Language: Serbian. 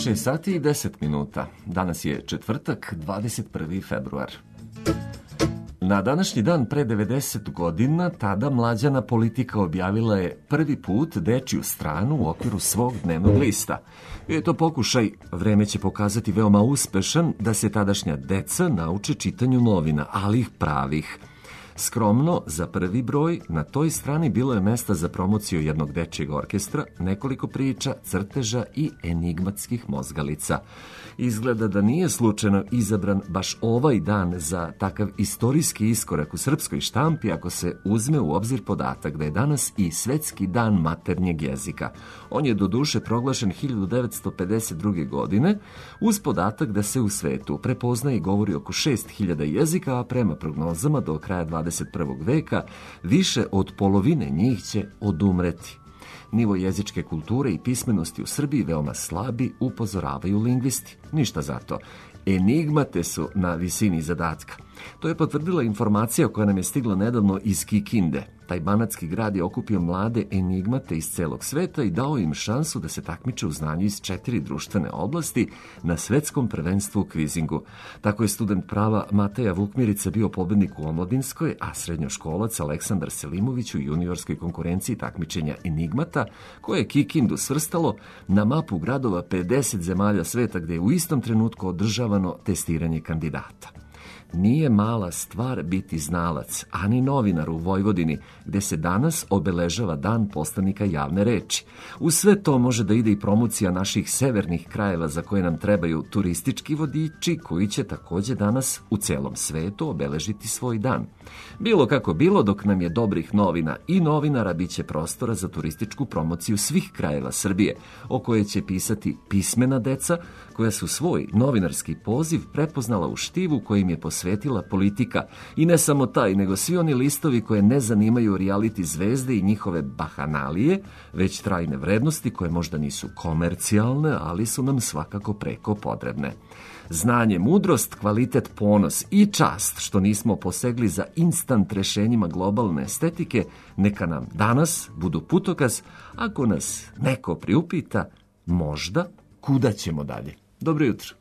6 sati i 10 minuta. Danas je četvrtak, 21. februar. Na današnji dan pre 90 godina tada mlađana politika objavila je prvi put dečiju stranu u okviru svog dnevnog lista. Bio je to pokušaj, vreme će pokazati veoma uspešan, da se tadašnja deca nauče čitanju novina, ali ih pravih. Skromno, za prvi broj, na toj strani bilo je mesta za promociju jednog dečijeg orkestra, nekoliko priča, crteža i enigmatskih mozgalica. Izgleda da nije slučajno izabran baš ovaj dan za takav istorijski iskorak u srpskoj štampi ako se uzme u obzir podatak da je danas i Svetski dan maternjeg jezika. On je doduše proglašen 1952. godine uz podatak da se u svetu prepoznaje i govori oko 6000 jezika, a prema prognozama do kraja 21. veka više od polovine njih će odumreti. Nivo jezičke kulture i pismenosti u Srbiji veoma slabi, upozoravaju lingvisti. Ništa zato. Enigmate su na visini zadatka. To je potvrdila informacija koja nam je stigla nedavno iz Kikinde. Taj banatski grad je okupio mlade enigmate iz celog sveta i dao im šansu da se takmiče u znanju iz 4 društvene oblasti na svetskom prvenstvu u kvizingu. Tako je student prava Mateja Vukmirica bio pobednik u omladinskoj, a srednjoškolac Aleksandar Selimović u juniorskoj konkurenciji takmičenja enigmata, koje je Kikindu svrstalo na mapu gradova 50 zemalja sveta gde je u istom trenutku održavano testiranje kandidata. Nije mala stvar biti znalac, ani novinar u Vojvodini, gde se danas obeležava dan poslanika javne reči. U sve to može da ide i promocija naših severnih krajeva za koje nam trebaju turistički vodiči, koji će takođe danas u celom svetu obeležiti svoj dan. Bilo kako bilo, dok nam je dobrih novina i novinara, bit će prostora za turističku promociju svih krajeva Srbije, o kojoj će pisati pismena deca, koja su svoj novinarski poziv prepoznala u štivu kojim je posvetila politika. I ne samo taj, nego svi oni listovi koje ne zanimaju reality zvezde i njihove bahanalije, već trajne vrednosti koje možda nisu komercijalne, ali su nam svakako preko potrebne. Znanje, mudrost, kvalitet, ponos i čast što nismo posegli za instant rešenjima globalne estetike, neka nam danas budu putokaz ako nas neko priupita možda kuda ćemo dalje. Dobro jutro.